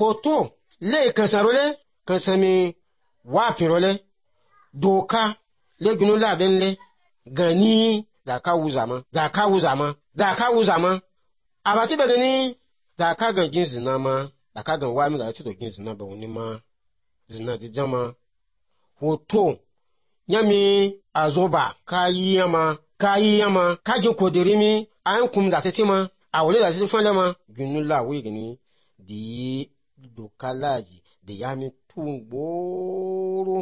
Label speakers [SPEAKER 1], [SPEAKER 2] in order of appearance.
[SPEAKER 1] hoto le kansarole kansami wapirole doka le gunula benle gani da ka wuzama abati bagani da ka gan jin zina ma da ka gan wami da ci to jin zina ba woni ma zina di jama hoto nyami azoba kayiyama kajin koderimi an kum da tetima awole da ti fele ma gunula wigini di dokalaji de yami tungboro